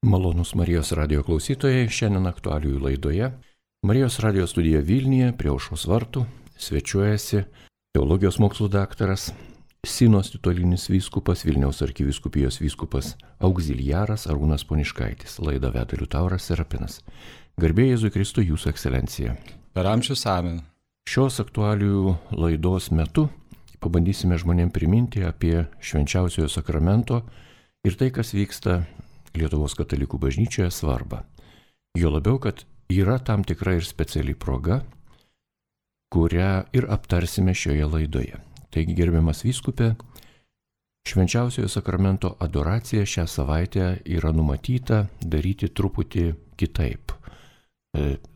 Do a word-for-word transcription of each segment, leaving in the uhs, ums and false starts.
Malonūs Marijos radijo klausytojai, šiandien aktualijų laidoje Marijos radijo studija Vilniuje prie Aušros vartų svečiuojasi teologijos mokslų daktaras, Sinos titulinis vyskupas, Vilniaus arkivyskupijos vyskupas auxiliaras Arūnas Poniškaitis. Laidą veda Liutauras Serapinas. Garbė Jėzui Kristui, Jūsų ekscelencija. Per amžius amen. Šios aktualijų laidos metu pabandysime žmonėm priminti apie švenčiausiojo sakramento ir tai, kas vyksta Lietuvos katalikų bažnyčioje svarbą. Jo labiau, kad yra tam tikra ir speciali proga, kurią ir aptarsime šioje laidoje. Taigi, gerbiamas vyskupė, švenčiausiojo sakramento adoracija šią savaitę yra numatyta daryti truputį kitaip,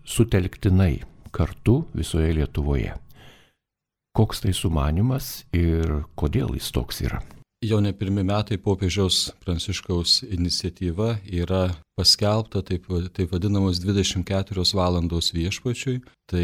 sutelktinai kartu visoje Lietuvoje. Koks tai sumanymas ir kodėl jis toks yra? Jau ne pirmi metai popiežiaus Pranciškaus iniciatyva yra paskelbta taip, taip vadinamos dvidešimt keturios valandos viešpačiui. Tai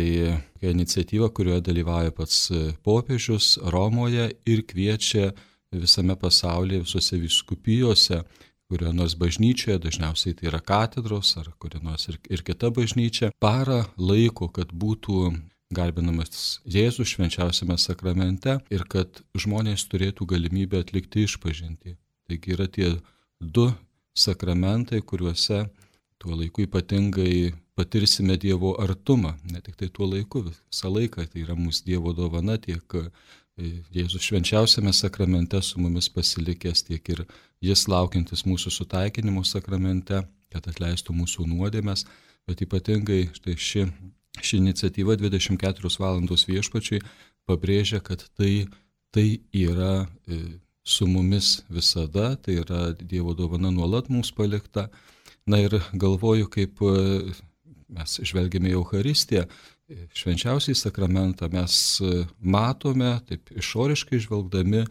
iniciatyva, kurioje dalyvauja pats popiežius Romoje ir kviečia visame pasaulyje, visose vyskupijose, kurioje nors bažnyčioje, dažniausiai tai yra katedros ar kurioje nors ir, ir kita bažnyčia, parą laiko, kad būtų garbinamas Jėzus švenčiausiame sakramente ir kad žmonės turėtų galimybę atlikti išpažintį. Taigi yra tie du sakramentai, kuriuose tuo laiku ypatingai patirsime Dievo artumą. Ne tik tai tuo laiku, visą laiką tai yra mūsų Dievo dovana, tiek Jėzus švenčiausiame sakramente su mumis pasilikęs, tiek ir Jis laukiantis mūsų sutaikinimo sakramente, kad atleistų mūsų nuodėmes, bet ypatingai štai ši Ši iniciatyva dvidešimt keturios valandos viešpačiui pabrėžia, kad tai, tai yra su mumis visada, tai yra Dievo dovana nuolat mums palikta. Na ir galvoju, kaip mes žvelgiame į Eucharistiją, švenčiausiai sakramentą mes matome, taip išoriškai žvelgdami,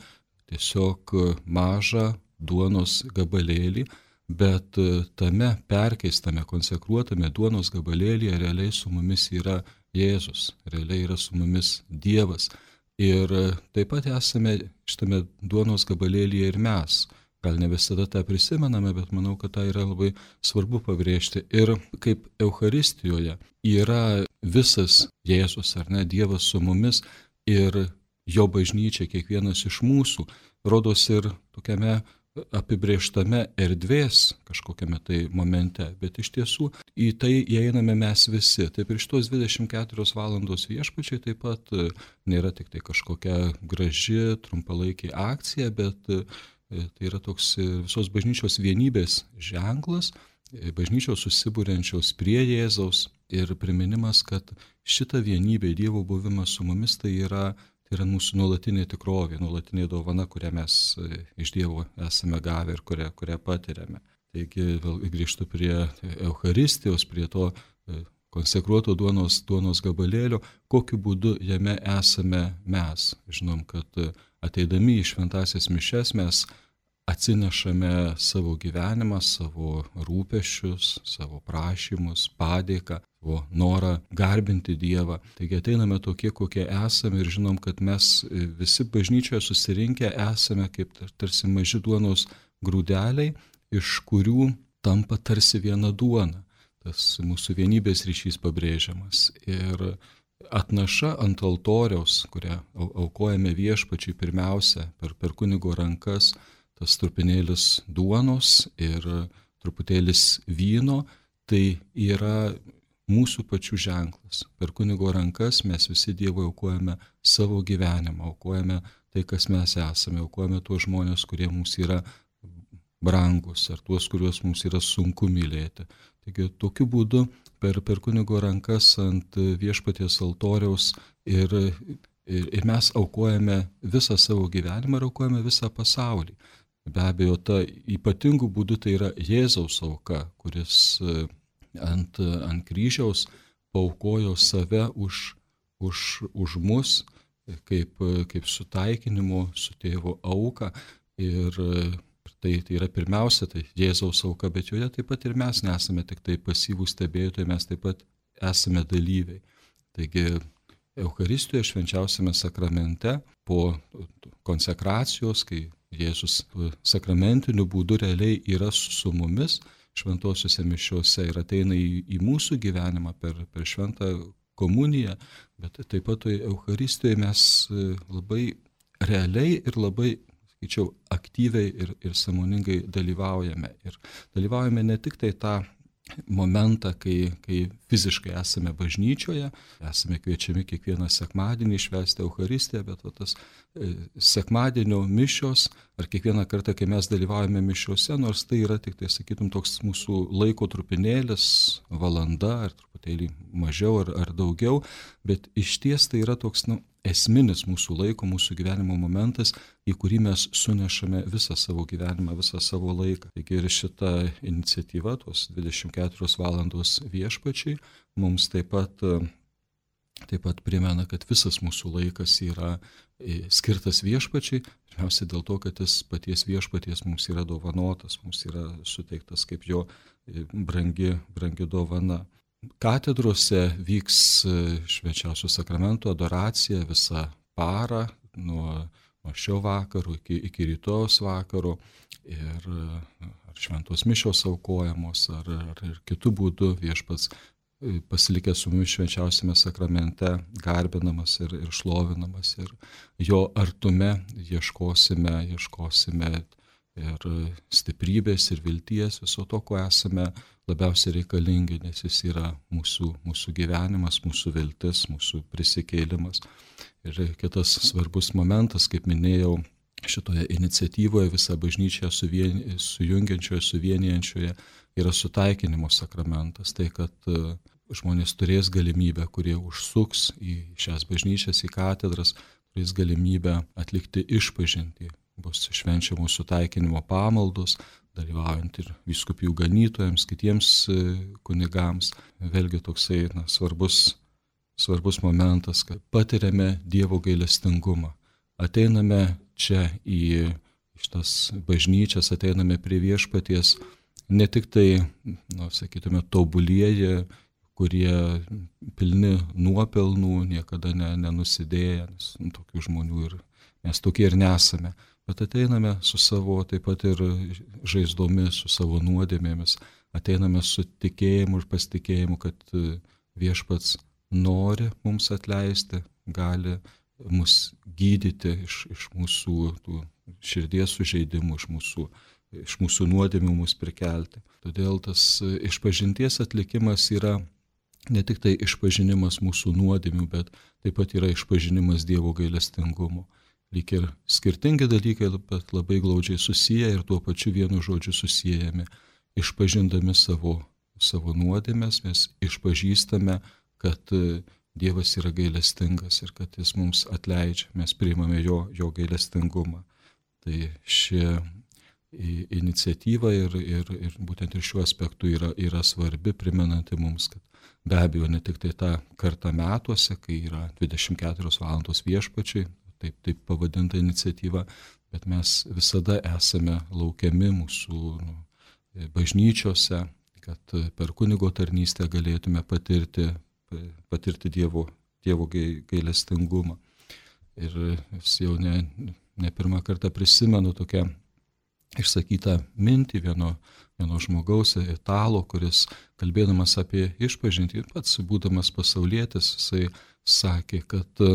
tiesiog mažą duonos gabalėlį, bet tame perkeistame, konsekruotame duonos gabalėlyje realiai su mumis yra Jėzus, realiai yra su mumis Dievas. Ir taip pat esame šitame duonos gabalėlyje ir mes. Gal ne visada tą prisimename, bet manau, kad tai yra labai svarbu pabrėžti. Ir kaip Eucharistijoje yra visas Jėzus, ar ne, Dievas su mumis ir jo bažnyčia, kiekvienas iš mūsų, rodos ir tokiame apibrėžtame erdvės kažkokiame tai momente, bet iš tiesų į tai įeiname mes visi. Taip ir šitos dvidešimt keturios valandos viešpačiai taip pat nėra tik tai kažkokia graži, trumpalaikė akcija, bet tai yra toks visos bažnyčios vienybės ženklas, bažnyčios susibūrenčios prie Jėzaus ir priminimas, kad šita vienybė, Dievo buvimas su mumis, tai yra Tai yra mūsų nuolatinė tikrovė, nuolatinė dovana, kurią mes iš Dievo esame gavę ir kurią, kurią patiriame. Taigi vėl grįžtu prie Eucharistijos, prie to konsekruoto duonos, duonos gabalėlio, kokiu būdu jame esame mes. Žinom, kad ateidami į šventąsias mišias mes atsinešame savo gyvenimą, savo rūpesčius, savo prašymus, padėką, savo norą garbinti Dievą. Taigi ateiname tokie, kokie esame ir žinom, kad mes visi bažnyčioje susirinkę esame kaip tarsi maži duonos grūdeliai, iš kurių tampa tarsi viena duona. Tas mūsų vienybės ryšys pabrėžiamas. Ir atnaša ant altoriaus, kurią aukojame viešpačiui pirmiausia per, per kunigo rankas, tas trupinėlis duonos ir truputėlis vyno, tai yra mūsų pačių ženklas. Per kunigo rankas mes visi Dievui aukojame savo gyvenimą, aukojame tai, kas mes esame, aukojame tuos žmonės, kurie mums yra brangus, ar tuos, kuriuos mums yra sunku mylėti. Taigi tokiu būdu per, per kunigo rankas ant viešpaties altoriaus ir, ir, ir mes aukojame visą savo gyvenimą ir aukojame visą pasaulį. Be abejo, ta ypatingų būdų tai yra Jėzaus auka, kuris ant, ant kryžiaus paaukojo save už, už, už mus, kaip, kaip sutaikinimo su tėvo auka. Ir tai, tai yra pirmiausia, tai Jėzaus auka, bet joje taip pat ir mes nesame tik tai pasyvūs stebėtojai, mes taip pat esame dalyviai. Taigi Eucharistijoje švenčiausiame sakramente po konsekracijos, kai Jėzus sakramentiniu būdu realiai yra su mumis, šventosiuose mišiuose ir ateina į, į mūsų gyvenimą per, per šventą komuniją, bet taip pat toje Eucharistijoje mes labai realiai ir labai, sakyčiau, aktyviai ir, ir sąmoningai dalyvaujame. Ir dalyvaujame ne tik tai tą momentą, kai, kai fiziškai esame bažnyčioje, esame kviečiami kiekvieną sekmadienį švęsti Eucharistiją, bet va, tas e, sekmadienio mišios, ar kiekvieną kartą, kai mes dalyvaujame mišiuose, nors tai yra tik tai, sakytum, toks mūsų laiko trupinėlis, valanda, ar truputėlį mažiau, ar, ar daugiau, bet iš ties tai yra toks, nu, esminis mūsų laiko, mūsų gyvenimo momentas, į kurį mes sunešame visą savo gyvenimą, visą savo laiką. Taigi ir šita iniciatyva, tos dvidešimt keturios valandos viešpačiai, mums taip pat, taip pat primena, kad visas mūsų laikas yra skirtas viešpačiai, pirmiausia dėl to, kad jis paties viešpaties mums yra dovanotas, mums yra suteiktas kaip jo brangi, brangi dovana. Katedrose vyks švenčiausio sakramento adoracija visą parą, nuo, nuo šio vakaro iki, iki rytojos vakaro, ir ar šventos mišios aukojamos, ar, ar ir kitų būdų viešpats pasilikęs su mumis švenčiausiame sakramente, garbinamas ir, ir šlovinamas, ir jo artume ieškosime, ieškosime ir stiprybės, ir vilties, viso to, ko esame labiausiai reikalingi, nes jis yra mūsų, mūsų gyvenimas, mūsų viltis, mūsų prisikėlimas. Ir kitas svarbus momentas, kaip minėjau, šitoje iniciatyvoje visą bažnyčią suvien, sujungiančioje, suvienijančioje yra sutaikinimo sakramentas. Tai, kad žmonės turės galimybę, kurie užsuks į šias bažnyčias, į katedras, turės galimybę atlikti išpažintį. Bus švenčiamos sutaikinimo pamaldos, dalyvaujant ir vyskupijų ganytojams, kitiems kunigams. Vėlgi toksai na, svarbus, svarbus momentas, kad patiriame Dievo gailestingumą. Ateiname čia į šitas bažnyčias, ateiname prie viešpaties, ne tik tai, na, sakytume, tobulieji, kurie pilni nuopelnų, niekada ne, nenusidėję, nes nu, tokių žmonių ir mes tokie ir nesame. Bet ateiname su savo taip pat ir žaizdomis, su savo nuodėmėmis, ateiname su tikėjimu ir pasitikėjimu, kad viešpats nori mums atleisti, gali mus gydyti iš, iš mūsų tų širdies sužeidimų, iš mūsų, iš mūsų nuodėmių mus prikelti. Todėl tas išpažinties atlikimas yra ne tik tai išpažinimas mūsų nuodėmių, bet taip pat yra išpažinimas Dievo gailestingumo. Lyg ir skirtingi dalykai, bet labai glaudžiai susiję ir tuo pačiu vienu žodžiu susijęjami. Išpažindami savo, savo nuodėmes, mes išpažįstame, kad Dievas yra gailestingas ir kad jis mums atleidžia, mes priimame jo, jo gailestingumą. Tai ši iniciatyva ir, ir, ir būtent ir šiuo aspektu yra, yra svarbi, primenanti mums, kad be abejo ne tik tai tą kartą metuose, kai yra dvidešimt keturios valandos viešpačiai, taip, taip pavadinta iniciatyva, bet mes visada esame laukiami mūsų nu, bažnyčiose, kad per kunigo tarnystę galėtume patirti, patirti Dievo, Dievo gailestingumą. Ir jau ne, ne pirmą kartą prisimenu tokią išsakytą mintį vieno, vieno žmogaus, italo, kuris kalbėdamas apie išpažintį, pats būdamas pasaulietis, jisai sakė, kad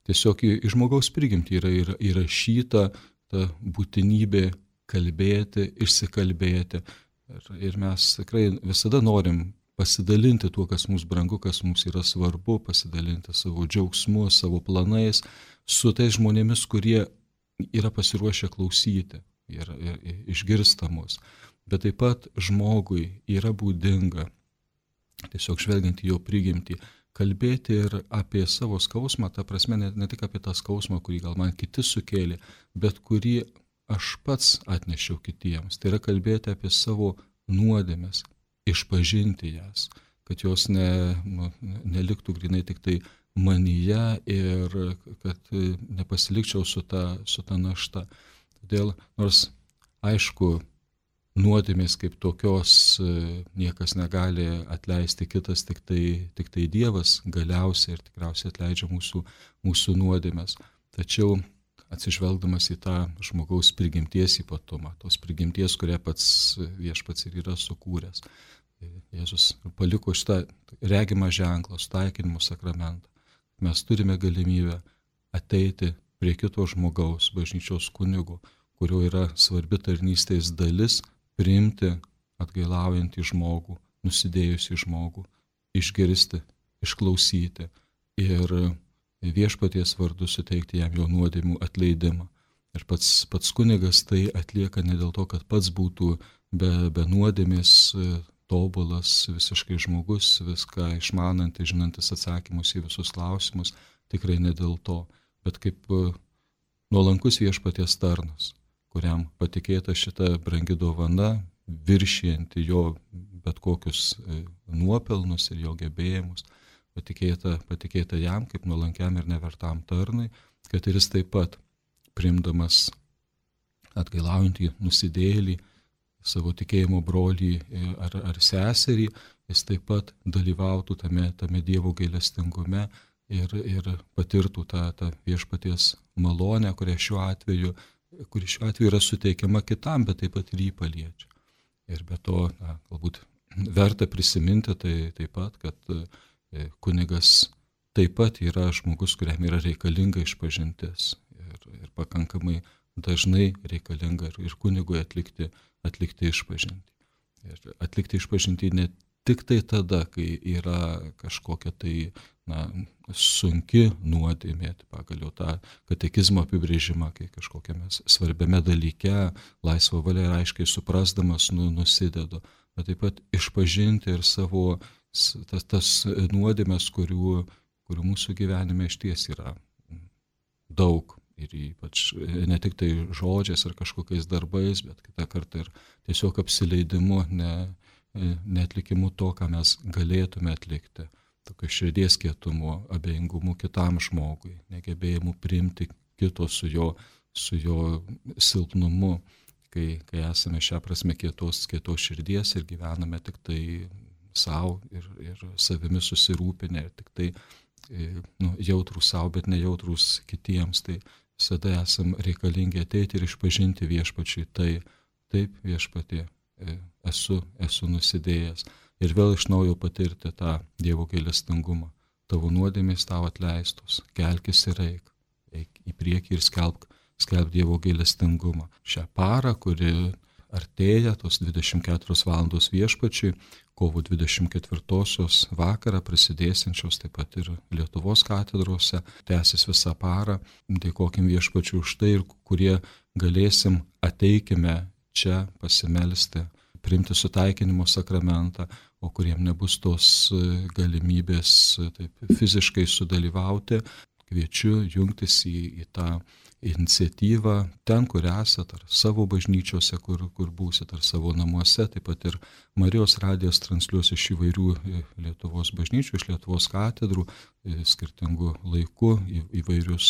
tiesiog į žmogaus prigimtį yra įrašyta ta būtinybė kalbėti, išsikalbėti. Ir, ir mes tikrai visada norim pasidalinti tuo, kas mums brangu, kas mums yra svarbu, pasidalinti savo džiaugsmu, savo planais su tais žmonėmis, kurie yra pasiruošę klausyti ir, ir, ir išgirsta mus. Bet taip pat žmogui yra būdinga, tiesiog žvelgiant į jo prigimtį, kalbėti ir apie savo skausmą, ta prasme ne, ne tik apie tą skausmą, kurį gal man kiti sukėlė, bet kurį aš pats atnešiau kitiems. Tai yra kalbėti apie savo nuodėmes, išpažinti jas, kad jos ne, nu, neliktų grinai tik tai manyje ir kad nepasilikčiau su ta, su ta našta. Todėl, nors aišku, nuodėmės kaip tokios niekas negali atleisti, kitas tik tai, tik tai Dievas galiausiai ir tikriausiai atleidžia mūsų, mūsų nuodėmės. Tačiau atsižvelgdamas į tą žmogaus prigimties ypatumą, tos prigimties, kurią pats viešpats ir yra sukūręs. Jėzus paliko šitą regimą ženklą, sutaikinimo sakramentą. Mes turime galimybę ateiti prie kito žmogaus, bažnyčios kunigo, kurio yra svarbi tarnystės dalis, priimti atgailaujantį žmogų, nusidėjusį žmogų, išgirsti, išklausyti ir viešpaties vardu suteikti jam jo nuodėmių atleidimą. Ir pats, pats kunigas tai atlieka ne dėl to, kad pats būtų be, be nuodėmės tobulas, visiškai žmogus, viską išmanantis, žinantis atsakymus į visus klausimus, tikrai ne dėl to, bet kaip nuolankus viešpaties tarnas, kuriam patikėta šita brangi dovana, viršijanti jo bet kokius nuopelnus ir jo gebėjimus, patikėta, patikėta jam kaip nuolankiam ir nevertam tarnui, kad ir jis taip pat, priimdamas atgailaujantį nusidėjėlį, savo tikėjimo brolį ar, ar seserį, jis taip pat dalyvautų tame, tame Dievo gailestingume ir, ir patirtų tą, tą viešpaties malonę, kurią šiuo atveju, kuri šiuo atveju yra suteikiama kitam, bet taip pat ir jį paliečia. Ir be to, na, galbūt verta prisiminti tai taip pat, kad kunigas taip pat yra žmogus, kuriam yra reikalinga išpažintis ir, ir pakankamai dažnai reikalinga ir, ir kunigui atlikti, atlikti išpažintį. Ir atlikti išpažintį ne tik tai tada, kai yra kažkokia tai na, sunki nuodėmė, pagal jau tą katekizmo apibrėžimą, kai kažkokiame svarbiame dalyke laisvą valią ir aiškiai suprasdamas nu, nusidedu, bet taip pat išpažinti ir savo tas, tas nuodėmės, kurių, kurių mūsų gyvenime išties yra daug. Ir ypač ne tik tai žodžiais ar kažkokiais darbais, bet kitą kartą ir tiesiog apsileidimu, ne, neatlikimu to, ką mes galėtume atlikti. Tokio širdies kietumu, abejingumu kitam žmogui, negebėjimu priimti kito su jo, su jo silpnumu, kai, kai esame šią prasme kietos, kietos širdies ir gyvename tik tai savo ir, ir savimi susirūpinę, ir tik tai nu, jautrus savo, bet nejautrus kitiems. Tai visada esam reikalingi ateiti ir išpažinti viešpačiui tai, taip viešpatie, esu, esu nusidėjęs. Ir vėl iš naujo patirti tą Dievo gailestingumą. Tavo nuodėmės tau atleistos, kelkis ir eik, eik į priekį ir skelbk, skelbk Dievo gailestingumą. Šią parą, kuri artėja, tos dvidešimt keturios valandos viešpačiui, kovo dvidešimt ketvirtosios vakarą prasidėsiančios taip pat ir Lietuvos katedrose, tęsis visą parą. Dėkokim viešpačiui už tai, kurie galėsim, ateikime čia pasimelsti, priimti sutaikinimo sakramentą, o kuriem nebus tos galimybės taip, fiziškai sudalyvauti, kviečiu jungtis į, į tą iniciatyvą ten, kur esat, ar savo bažnyčiose, kur, kur būsit, ar savo namuose. Taip pat ir Marijos radijas transliuos iš įvairių Lietuvos bažnyčių, iš Lietuvos katedrų, skirtingų laikų, į, įvairius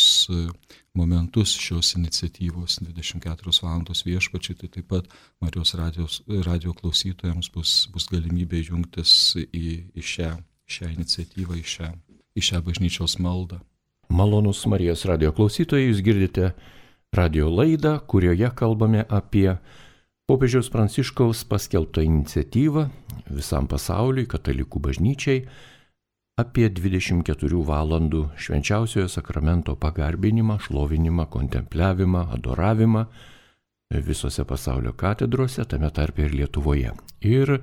momentus šios iniciatyvos dvidešimt keturios valandos viešpačiai. Tai taip pat Marijos radijos, radio klausytojams bus, bus galimybė jungtis į, į šią, šią iniciatyvą, į šią, į šią bažnyčios maldą. Malonus Marijos radio klausytojai, jūs girdite radio laidą, kurioje kalbame apie popiežiaus Pranciškaus paskelbtą iniciatyvą visam pasauliui, katalikų bažnyčiai, apie dvidešimt keturių valandų švenčiausiojo sakramento pagarbinimą, šlovinimą, kontempliavimą, adoravimą visose pasaulio katedrose, tame tarpe ir Lietuvoje. Ir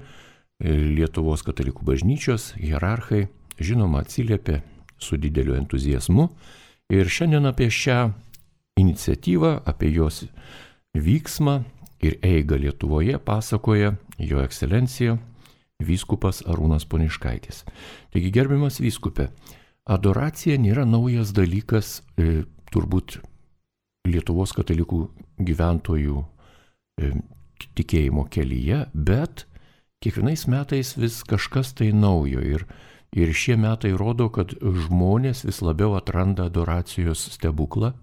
Lietuvos katalikų bažnyčios hierarchai, žinoma, atsiliepė su dideliu entuziazmu. Ir šiandien apie šią iniciatyvą, apie jos vyksmą ir eigą Lietuvoje pasakoja Jo ekscelencija vyskupas Arūnas Poniškaitis. Taigi, gerbiamas vyskupe, adoracija nėra naujas dalykas e, turbūt Lietuvos katalikų gyventojų e, tikėjimo kelyje, bet kiekvienais metais vis kažkas tai naujo. Ir Ir šie metai rodo, kad žmonės vis labiau atranda adoracijos stebuklą,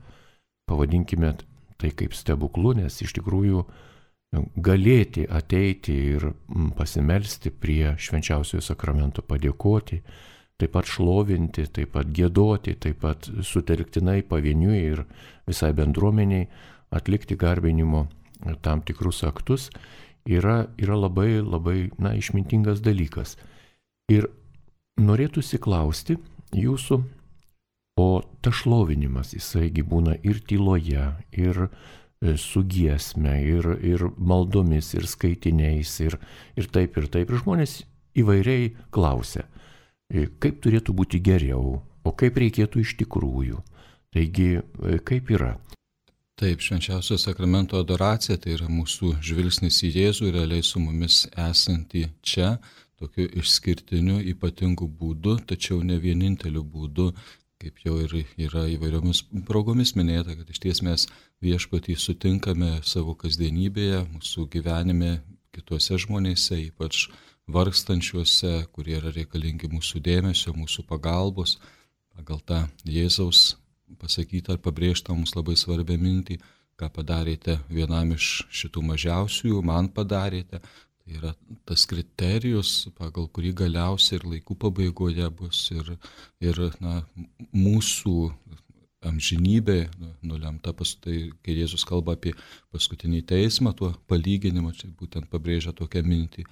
pavadinkime tai kaip stebuklu, nes iš tikrųjų galėti ateiti ir pasimelsti prie švenčiausiojo sakramento, padėkoti, taip pat šlovinti, taip pat giedoti, taip pat sutelktinai pavieniui ir visai bendruomeniai atlikti garbinimo tam tikrus aktus, yra, yra labai, labai, na, išmintingas dalykas. Ir norėtųsi klausti jūsų, o tas šlovinimas, jisaigi būna ir tyloje, ir su giesme, ir, ir maldomis, ir skaitiniais, ir, ir taip, ir taip. Ir žmonės įvairiai klausia, kaip turėtų būti geriau, o kaip reikėtų iš tikrųjų. Taigi, kaip yra? Taip, švenčiausio sakramento adoracija tai yra mūsų žvilgsnis į Jėzų, realiai su mumis esantį čia, tokiu išskirtiniu, ypatingu būdu, tačiau ne vieninteliu būdu, kaip jau ir yra įvairiomis progomis minėta, kad iš ties mes viešpatį sutinkame savo kasdienybėje, mūsų gyvenime, kituose žmonėse, ypač vargstančiuose, kurie yra reikalingi mūsų dėmesio, mūsų pagalbos, pagal tą Jėzaus pasakytą ar pabrėžtą mums labai svarbią mintį, ką padarėte vienam iš šitų mažiausiųjų, man padarėte. Tai yra tas kriterijus, pagal kurį galiausiai ir laikų pabaigoje bus ir, ir na, mūsų amžinybė nulemta, tai kai Jėzus kalba apie paskutinį teismą, tuo palyginimą, čia būtent pabrėžia tokią mintį,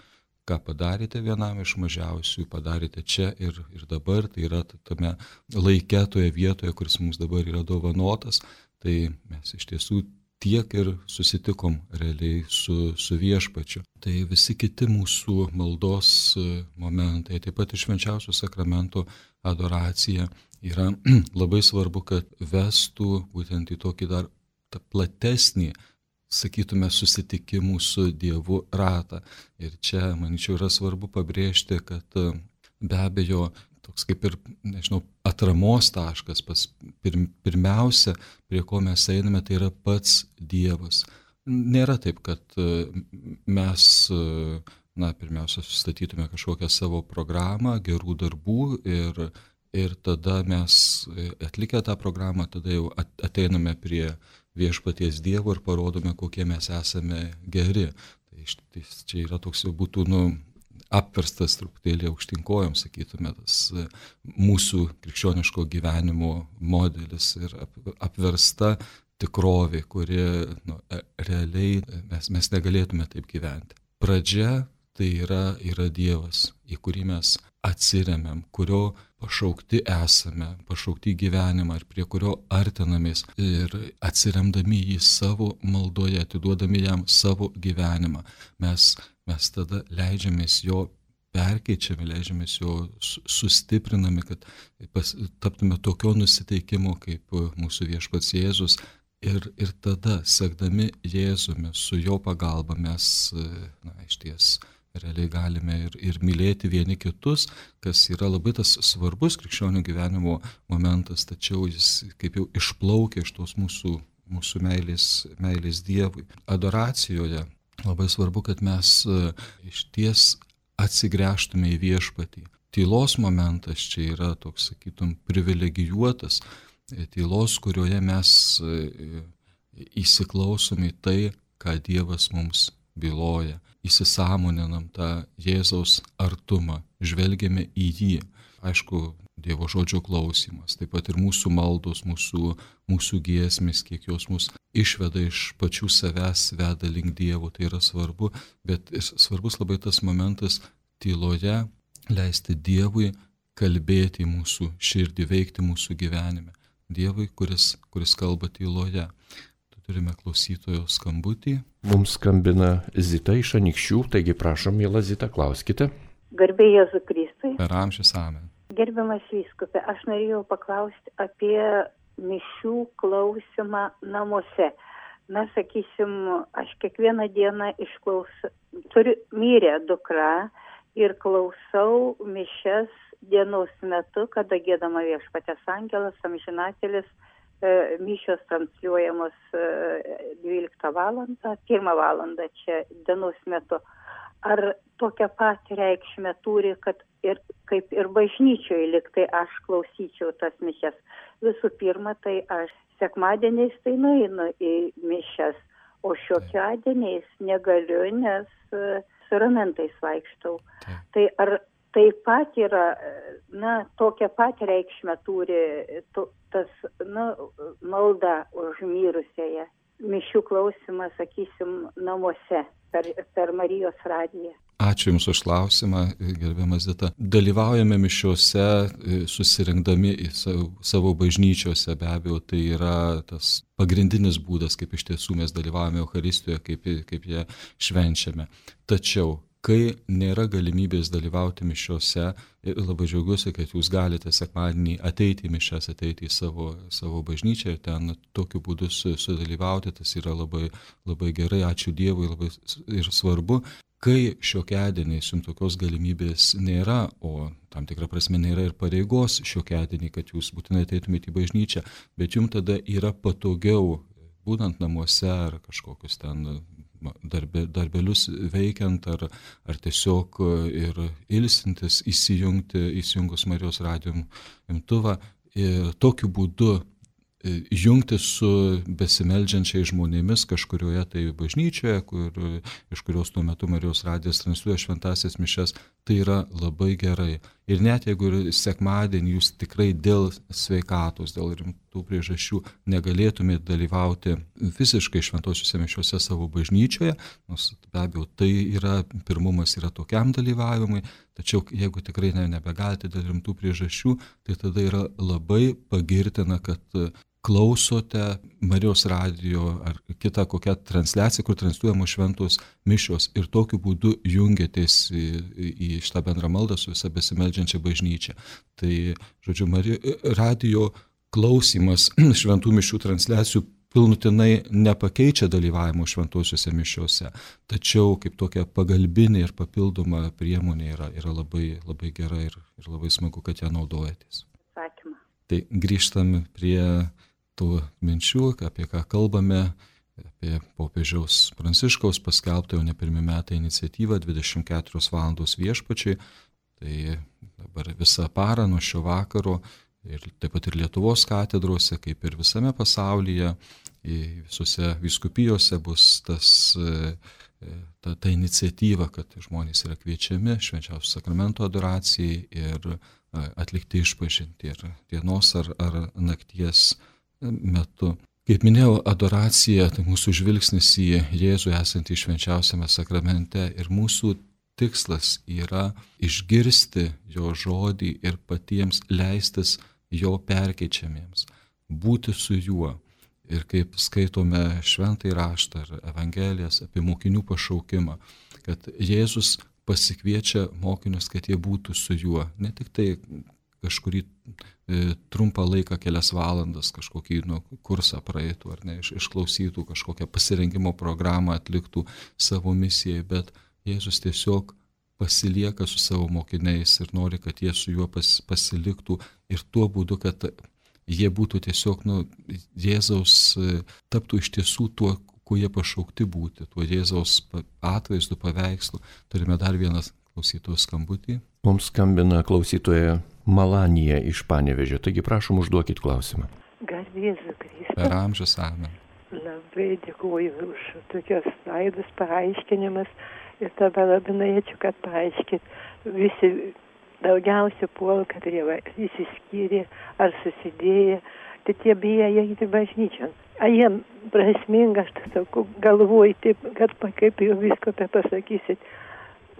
ką padarėte vienam iš mažiausių, padarėte čia ir, ir dabar, tai yra tame laike, toje vietoje, kuris mums dabar yra dovanotas, tai mes iš tiesų tiek ir susitikom realiai su, su viešpačiu. Tai visi kiti mūsų maldos momentai, taip pat ir švenčiausio sakramento adoracija yra labai svarbu, kad vestų būtent į tokį dar platesnį, sakytume, susitikimų su Dievu ratą. Ir čia, manyčiau, yra svarbu pabrėžti, kad be abejo, toks kaip ir, nežinau, atramos taškas, pas pir, pirmiausia, prie ko mes einame, tai yra pats Dievas. Nėra taip, kad mes, na, pirmiausia, sustatytume kažkokią savo programą, gerų darbų ir, ir tada mes atlikę tą programą, tada jau ateiname prie viešpaties Dievo ir parodome, kokie mes esame geri. Tai, tai čia yra toks jau būtų, nu, apverstas truputėlį aukštinkojom, sakytume, tas mūsų krikščioniško gyvenimo modelis ir apversta tikrovė, kuri, nu, realiai mes, mes negalėtume taip gyventi. Pradžia tai yra, yra Dievas, į kurį mes atsiremiam, kurio pašaukti esame, pašaukti gyvenimą ir prie kurio artinamės ir atsiremdami jį savo maldoje, atiduodami jam savo gyvenimą. Mes Mes tada leidžiamės jo perkeičiami, leidžiamės jo sustiprinami, kad pas, taptume tokio nusiteikimo kaip mūsų viešpats Jėzus. Ir, ir tada, sekdami Jėzumi, su jo pagalba mes, na, iš ties, realiai galime ir, ir mylėti vieni kitus, kas yra labai tas svarbus krikščionių gyvenimo momentas, tačiau jis kaip jau išplaukia iš tos mūsų, mūsų meilės, meilės Dievui. Adoracijoje labai svarbu, kad mes iš ties atsigręžtume į viešpatį. Tylos momentas čia yra toks, sakytum, privilegijuotas, tylos, kurioje mes įsiklausome į tai, ką Dievas mums byloja, įsisąmoninam tą Jėzaus artumą, žvelgiame į jį. Aišku, Dievo žodžio klausimas, taip pat ir mūsų maldos, mūsų, mūsų giesmės, kiek jos mus išveda iš pačių savęs, veda link Dievo, tai yra svarbu, bet svarbus labai tas momentas tyloje leisti Dievui kalbėti mūsų širdį, veikti mūsų gyvenime. Dievui, kuris, kuris kalba tyloje. Turime klausytojo skambutį. Mums skambina Zita iš Anykščių, taigi prašom, miela Zita, klauskite. Garbė Jėzui Kristui. Per amžius amen. Gerbiamas vyskupe, aš norėjau paklausti apie mišių klausimą namuose. Na, sakysim, aš kiekvieną dieną išklausau, turiu mirę dukra ir klausau mišias dienos metu, kada giedama Viešpaties angelas, amžinatelis, mišios transliuojamos dvyliktą valandą, pirmą valandą čia dienos metu. Ar tokią patį reikšmę turi, kad ir kaip ir bažnyčioje liktai aš klausyčiau tas mišias. Visų pirma, tai aš sekmadieniais tai nueinu į mišias, o šiokiadieniais negaliu, nes su ramentais vaikštau. Tai ar taip pat yra, na, tokią pat reikšmę turi to, tas, na, malda už mirusiąją. Mišių klausimas, sakysim, namuose per, per Marijos radiją. Ačiū Jums už klausimą, gerbiamas Zita. Dalyvaujame mišiuose, susirinkdami į savo, savo bažnyčiose, be abejo, tai yra tas pagrindinis būdas, kaip iš tiesų mes dalyvaujame Eucharistijoje, kaip, kaip ją švenčiame. Tačiau, kai nėra galimybės dalyvauti mišiuose, labai džiaugiuosi, kad jūs galite sekmadienį ateiti į mišias, ateiti į savo, savo bažnyčią ir ten tokiu būdu sudalyvauti, tas yra labai, labai gerai, ačiū Dievui, labai ir svarbu. Kai šiokiadieniais jums tokios galimybės nėra, o tam tikrą prasme nėra ir pareigos šiokiadienį, kad jūs būtinai ateitumėte į bažnyčią, bet jums tada yra patogiau, būnant namuose ar kažkokius ten darbe, darbelius veikiant, ar, ar tiesiog ir ilsintis, įsijungti, įsijungus Marijos radijo imtuvą ir tokiu būdu jungti su besimeldžiančiais žmonėmis kažkurioje tai bažnyčioje, kur, iš kurios tuo metu Marijos radijas transliuoja šventąsias mišias, tai yra labai gerai. Ir net jeigu ir sekmadienį jūs tikrai dėl sveikatos, dėl rimtų priežasčių negalėtumėte dalyvauti fiziškai šventosiuose mišiuose savo bažnyčioje, nors be abejo tai yra, pirmumas yra tokiam dalyvavimui, tačiau jeigu tikrai ne, nebegalite dėl rimtų priežasčių, tai tada yra labai pagirtina, kad klausote Marijos radijo ar kitą kokią transliaciją, kur transliuojamos šventos mišios ir tokiu būdu jungiatės į, į šitą bendrą maldą su visa besimeldžiančia bažnyčia. Tai, žodžiu, Marijos radijo klausimas šventų mišių transliacijų pilnutinai nepakeičia dalyvavimo šventosiuose mišiuose, tačiau kaip tokia pagalbinė ir papildoma priemonė yra, yra labai, labai gera ir, ir labai smagu, kad ją naudojatės. Ačiū. Tai grįžtam prie tų minčių, apie ką kalbame, apie popiežiaus Pranciškaus paskelbtą jau ne pirmi metai iniciatyvą dvidešimt keturios valandos viešpačiai. Tai dabar visą parą nuo šio vakaro ir taip pat ir Lietuvos katedrose, kaip ir visame pasaulyje, visose vyskupijose bus tas, ta, ta iniciatyva, kad žmonės yra kviečiami švenčiausio sakramento adoracijai ir atlikti išpažintį ir dienos ar, ar nakties metu. Kaip minėjau, adoracija, tai mūsų žvilgsnis į Jėzų esantį švenčiausiame sakramente ir mūsų tikslas yra išgirsti jo žodį ir patiems leistis jo perkeičiamiems, būti su juo. Ir kaip skaitome šventąjį raštą ar evangelijas apie mokinių pašaukimą, kad Jėzus pasikviečia mokinius, kad jie būtų su juo. Ne tik tai kažkurį e, trumpą laiką, kelias valandas, kažkokį nu, kursą praeitų ar ne, iš, išklausytų, kažkokią pasirengimo programą atliktų savo misijai, bet Jėzus tiesiog pasilieka su savo mokiniais ir nori, kad jie su juo pas, pasiliktų ir tuo būdu, kad jie būtų tiesiog, nu, Jėzaus taptų iš tiesų tuo, kuo jie pašaukti būti, tuo Jėzaus atvaizdu, paveikslu. Turime dar vieną klausytojų skambutį. Mums skambina klausytoja Malanija iš Panevėžio, taigi prašom užduokit klausimą. Garbė Jėzui Kristui. Per amžius amen. Labai dėkuoju už tokios laidus paaiškinimas ir dabar labai norėčiau, kad paaiškit. Visi daugiausia puol, kad jie įsiskyrė ar susidėję, tai tie bijo eiti bažnyčion. Ar jiem prasminga, aš tas sakau, galvoju taip, kad kaip jau visko apie pasakysit.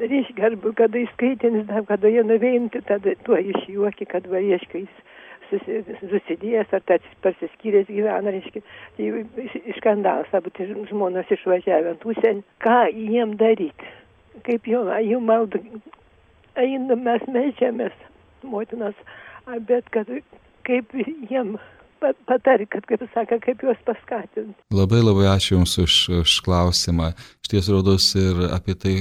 Reiškia, arba kada įskaitinis, kada jie nuveinti, tada tuo išjuoki, kad va, reiškia, jis susidėjęs ar tas pasiskyręs gyvena, reiškia, tai skandalas, abu tai žmonos išvažiavę ant užsienį. Ką jiem daryti? Kaip jau, jų maldą, einam, mes meldžiamės, motinos, bet kad kaip jiem patari, kad, kaip saka, kaip juos paskatinti. Labai labai ačiū Jums už, už klausimą. Šties rodos ir apie tai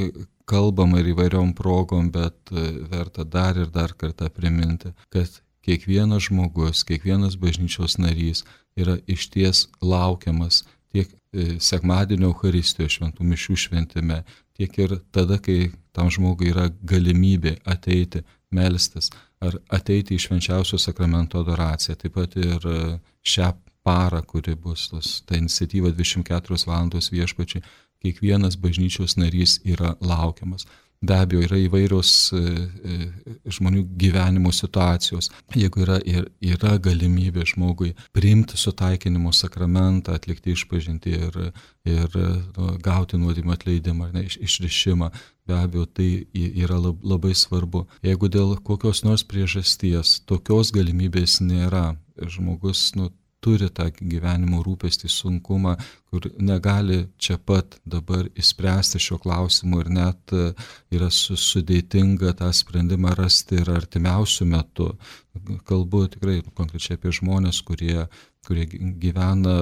kalbama ir įvairiom progom, bet verta dar ir dar kartą priminti, kad kiekvienas žmogus, kiekvienas bažnyčios narys yra išties laukiamas tiek sekmadienio Eucharistijoje, šventų mišių šventime, tiek ir tada, kai tam žmogui yra galimybė ateiti, melstis, ar ateiti į švenčiausio sakramento adoraciją. Taip pat ir šią parą, kuri bus tos, ta iniciatyva dvidešimt keturios valandos viešpačiai, kiekvienas bažnyčios narys yra laukiamas. be abejo yra įvairios žmonių gyvenimo situacijos. Jeigu yra, yra galimybė žmogui priimti sutaikinimo sakramentą, atlikti išpažintį ir, ir nu, gauti nuodėmių atleidimą, ne, išrišimą, be abejo tai yra labai svarbu. Jeigu dėl kokios nors priežasties tokios galimybės nėra, žmogus nu, turi tą gyvenimo rūpestį, sunkumą, kur negali čia pat dabar išspręsti šio klausimu ir net yra sudėtinga tą sprendimą rasti ir artimiausių metų. Kalbu tikrai konkrečiai apie žmonės, kurie, kurie gyvena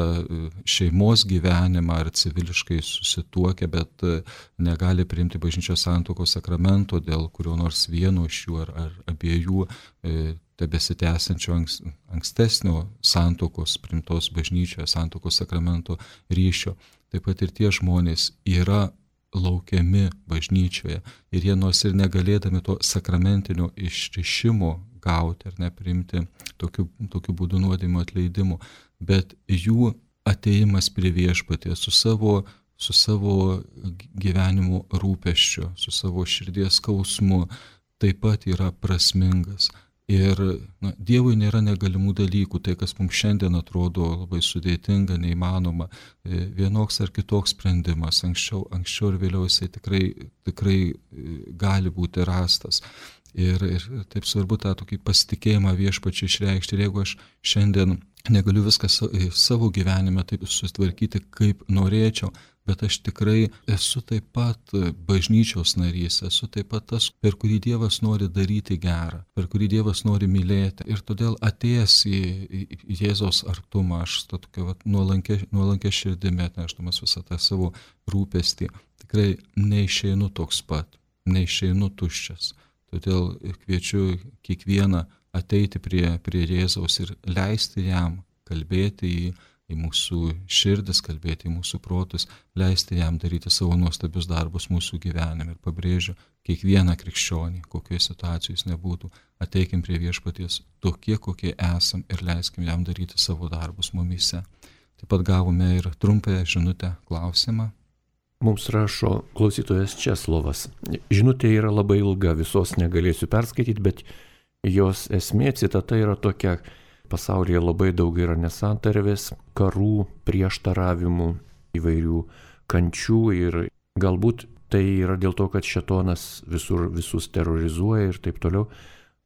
šeimos gyvenimą ar civiliškai susituokia, bet negali priimti bažnyčios santuokos sakramento dėl kurio nors vieno iš jų ar, ar abiejų tebesitęsiančio ankstesnio santuokos priimtos bažnyčioje, santuokos sakramento ryšio. Taip pat ir tie žmonės yra laukiami bažnyčioje ir jie nors ir negalėdami to sakramentinio išrišimo gauti ar nepriimti tokiu, tokiu būdu nuodėmių atleidimų, bet jų ateimas prie viešpaties su savo, su savo gyvenimo rūpesčiu, su savo širdies skausmu taip pat yra prasmingas. Ir na, Dievui nėra negalimų dalykų, tai kas mums šiandien atrodo labai sudėtinga, neįmanoma, vienoks ar kitoks sprendimas, anksčiau, anksčiau ir vėliau jisai tikrai, tikrai gali būti rastas. Ir, ir taip svarbu tą tokį pasitikėjimą viešpačiu išreikšti. Ir jeigu aš šiandien negaliu viską savo gyvenime taip susitvarkyti, kaip norėčiau, bet aš tikrai esu taip pat bažnyčios narys, esu taip pat tas, per kurį Dievas nori daryti gerą, per kurį Dievas nori mylėti. Ir todėl atėjęs į, į Jėzaus artumą, aš tokia nuolankia, nuolankia širdimi atnešdamas visą tą savo rūpestį, tikrai neišeinu toks pat, neišeinu tuščias. Todėl kviečiu kiekvieną ateiti prie, prie Jėzaus ir leisti jam kalbėti į į mūsų širdis, kalbėti į mūsų protus, leisti jam daryti savo nuostabius darbus mūsų gyvenime. Ir pabrėžiu, kiekvieną krikščionį, kokioje situacijoje jis nebūtų, ateikim prie viešpaties tokie, kokie esam ir leiskim jam daryti savo darbus mumyse. Taip pat gavome ir trumpąją žinutę klausimą. Mums rašo klausytojas Česlovas. Žinutė yra labai ilga, visos negalėsiu perskaityti, bet jos esmė citata yra tokia: pasaulyje labai daug yra nesantarvės, karų, prieštaravimų, įvairių kančių ir galbūt tai yra dėl to, kad šėtonas visur visus terrorizuoja ir taip toliau.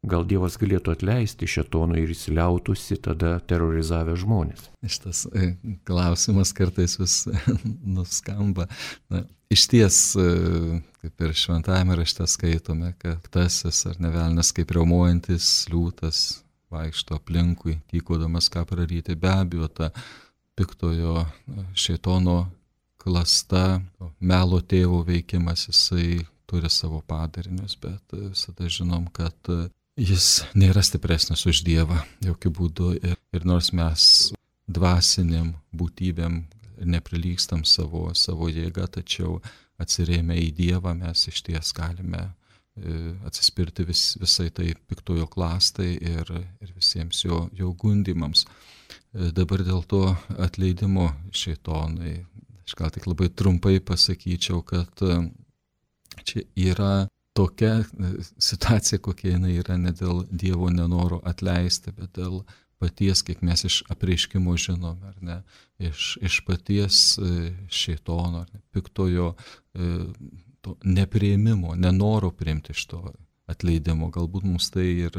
Gal Dievas galėtų atleisti šėtonui ir įsiliautusi tada terorizavę žmonės? Šitas klausimas kartais vis nuskamba. Na, iš ties, kaip ir šventajame rašte skaitome, kad tasis ar ne velnias kaip riaumojantis liūtas vaikšto aplinkui, tykodamas ką praryti. Be abejo, ta piktojo šėtono klasta, melo tėvo veikimas, jisai turi savo padarinius, bet visada žinom, kad jis nėra stipresnis už Dievą, jokių būdų. Ir, ir nors mes dvasiniam būtybėm neprilygstam savo, savo jėgą, tačiau atsirėmę į Dievą mes iš ties galime atsispirti vis, visai tai piktojo klastai ir, ir visiems jo, jo gundimams. Dabar dėl to atleidimo šėtonai, aš gal tik labai trumpai pasakyčiau, kad čia yra tokia situacija, kokia jinai yra ne dėl Dievo nenoro atleisti, bet dėl paties, kiek mes iš apreiškimo žinome, ar ne, iš, iš paties šėtono, ar ne, piktojo to nepriėmimo, nenoro priimti iš to atleidimo. Galbūt mums tai ir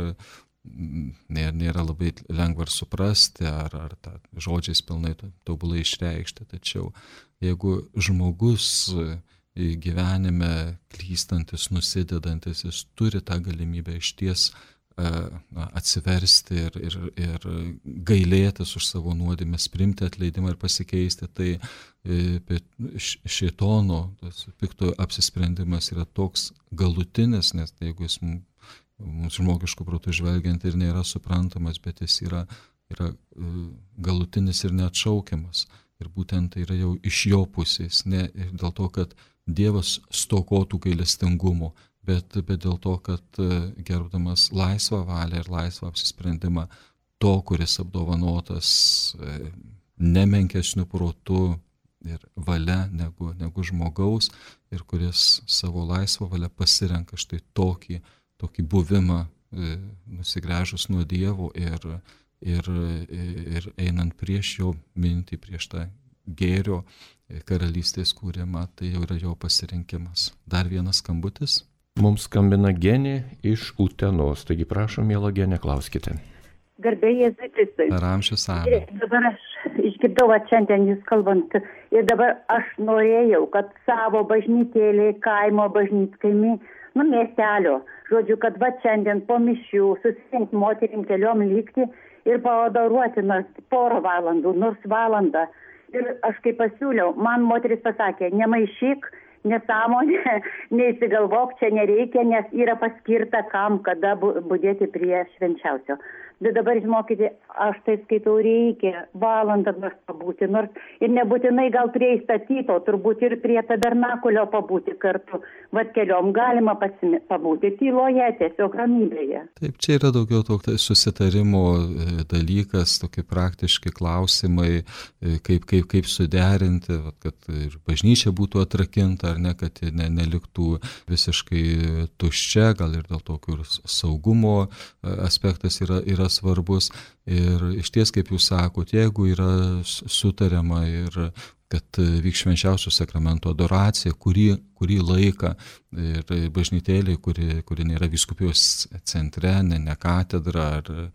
nėra, nėra labai lengva suprasti, ar, ar tą žodžiais pilnai tobulai išreikšti. Tačiau jeigu žmogus gyvenime klystantis, nusidedantis, jis turi tą galimybę išties na, atsiversti ir, ir, ir gailėtis už savo nuodėmes, priimti atleidimą ir pasikeisti, tai šėtono, tas piktojo apsisprendimas yra toks galutinis, nes tai, jeigu jis mums žmogiškų protų žvelgiant ir nėra suprantamas, bet jis yra, yra galutinis ir neatšaukiamas. Ir būtent tai yra jau iš jo pusės, ne dėl to, kad Dievas stokotų gailestingumo, bet, bet dėl to, kad gerbdamas laisvą valią ir laisvą apsisprendimą to, kuris apdovanotas nemenkesniu protu, ir valia negu, negu žmogaus ir kuris savo laisvą valią pasirenka štai tokį, tokį buvimą e, nusigręžus nuo Dievo ir, ir, ir einant prieš jo mintį, prieš tą gėrio karalystės kūrimą, tai jau yra jo pasirinkimas. Dar vienas skambutis. Mums skambina Genė iš Utenos, taigi prašom, miela Genė, klauskite. Garbė Jėzui Kristui. Per amžius amen. Dabar aš išgirdau va, šiandien jūs kalbant ir dabar aš norėjau, kad savo bažnytėlį, kaimo bažnytkaimį, nu miestelio, žodžiu, kad va šiandien po mišių susirinkti moterim keliom likti ir pavadoruoti nors porą valandų, nors valandą. Ir aš kaip pasiūliau, man moteris pasakė, nemaišyk, nesąmonė, neįsigalvok, čia nereikia, nes yra paskirta kam, kada budėti prie švenčiausio. Bet dabar, žinokite, aš tai skaitau, reikia valandą nors pabūti, nors ir nebūtinai gal prie įstatyto, turbūt ir prie tabernakulio pabūti kartu, vat keliom galima pasimi, pabūti tyloje, tiesiog ramybėje. Taip, čia yra daugiau toks susitarimo dalykas, tokie praktiški klausimai, kaip, kaip, kaip suderinti, kad ir bažnyčia būtų atrakinta, ar ne, kad ne, neliktų visiškai tuščia, gal ir dėl tokių saugumo aspektas yra, yra svarbus. Ir iš ties, kaip jūs sakot, jeigu yra sutariama ir kad vyks švenčiausio sakramento adoracija, kurį, kurį laiką ir bažnytėlė, kuri, kuri nėra vyskupijos centre, ne, ne katedra, ar,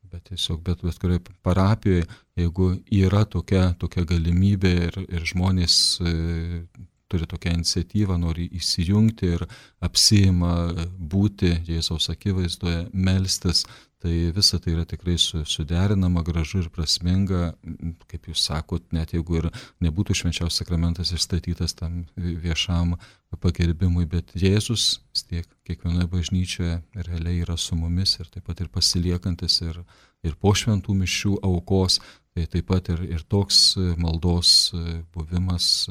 bet tiesiog bet, bet kurioje parapijoje, jeigu yra tokia, tokia galimybė ir, ir žmonės e, turi tokią iniciatyvą, nori įsijungti ir apsiima būti Jėzaus akivaizdoje, melstis, tai visa tai yra tikrai suderinama, gražu ir prasminga, kaip jūs sakot, net jeigu ir nebūtų švenčiausias sakramentas išstatytas tam viešam pagerbimui, bet Jėzus vis tiek kiekvienoje bažnyčioje realiai yra su mumis ir taip pat ir pasiliekantis ir, ir po šventų mišių aukos, tai taip pat ir, ir toks maldos buvimas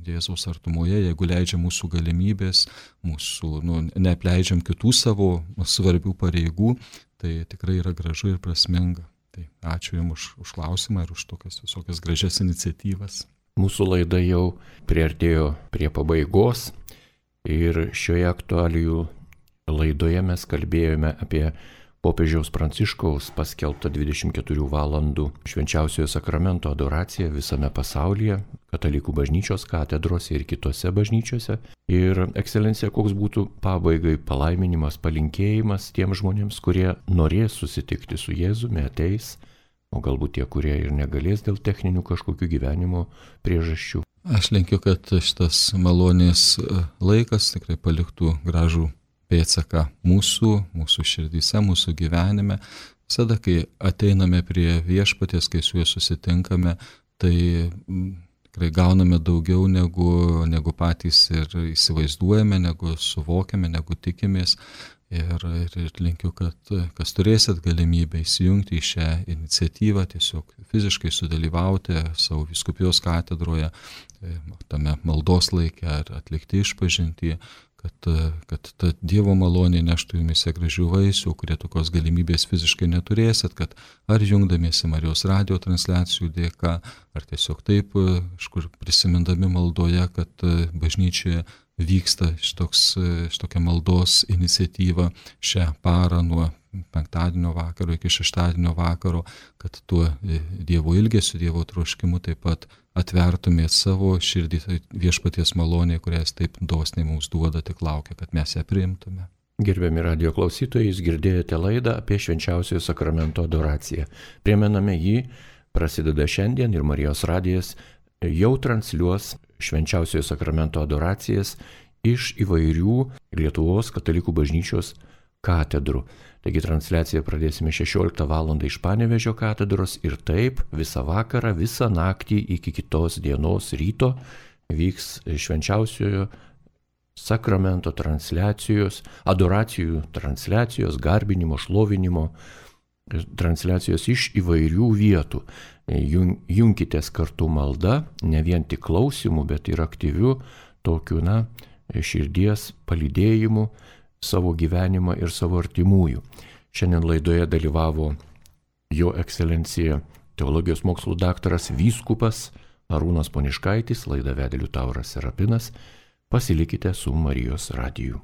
Jėzaus artumoje, jeigu leidžia mūsų galimybės, mūsų, nu, neapleidžiam kitų savo svarbių pareigų, tai tikrai yra gražu ir prasminga. Tai ačiū Jums už, už klausimą ir už tokias visokias gražias iniciatyvas. Mūsų laida jau priartėjo prie pabaigos ir šioje aktualijų laidoje mes kalbėjome apie popiežiaus Pranciškaus paskelbtą dvidešimt keturių valandų švenčiausiojo sakramento adoraciją visame pasaulyje, katalikų bažnyčios katedrose ir kitose bažnyčiose. Ir, ekscelencija, koks būtų pabaigai palaiminimas, palinkėjimas tiems žmonėms, kurie norės susitikti su Jėzumi, ateis, o galbūt tie, kurie ir negalės dėl techninių kažkokių gyvenimo priežasčių. Aš linkiu, kad šitas malonės laikas tikrai paliktų gražų pėdsaką mūsų, mūsų širdyse, mūsų gyvenime. Visada, kai ateiname prie viešpaties, kai su juo susitinkame, tai tikrai gauname daugiau negu, negu patys ir įsivaizduojame, negu suvokiame, negu tikimės. Ir, ir, ir linkiu, kad kas turėsit galimybę įsijungti į šią iniciatyvą, tiesiog fiziškai sudalyvauti savo vyskupijos katedroje, tame maldos laike ar atlikti išpažintį, kad, kad ta Dievo malonė neštų jumise gražių vaisių, kurie tokios galimybės fiziškai neturėsit, kad ar jungdamiesi Marijos radijo transliacijų dėka, ar tiesiog taip, kažkur prisimindami maldoje, kad bažnyčioje vyksta šitoks, šitokia maldos iniciatyva šią parą nuo penktadienio vakaro iki šeštadienio vakaro, kad tuo Dievo ilgesiu, Dievo troškimu taip pat atvertumėt savo širdį viešpaties malonė, kurią jis taip dosniai mums duoda, tik laukia, kad mes ją priimtume. Gerbiami radijo klausytojai, jūs girdėjote laidą apie švenčiausiojo sakramento adoraciją. Primename, jį prasideda šiandien ir Marijos radijas jau transliuos švenčiausiojo sakramento adoracijas iš įvairių Lietuvos katalikų bažnyčios katedrų. Taigi transliaciją pradėsime šešioliktą valandą iš Panevėžio katedros ir taip visą vakarą, visą naktį iki kitos dienos ryto vyks švenčiausiojo sakramento transliacijos, adoracijų transliacijos, garbinimo, šlovinimo transliacijos iš įvairių vietų. Junkitės kartu malda, ne vien tik klausimų, bet ir aktyvių tokių, na, širdies palydėjimų savo gyvenimą ir savo artimųjų. Šiandien laidoje dalyvavo jo ekscelencija teologijos mokslų daktaras vyskupas Arūnas Poniškaitis, laidą vedė Liutauras Serapinas. Pasilikite su Marijos radiju.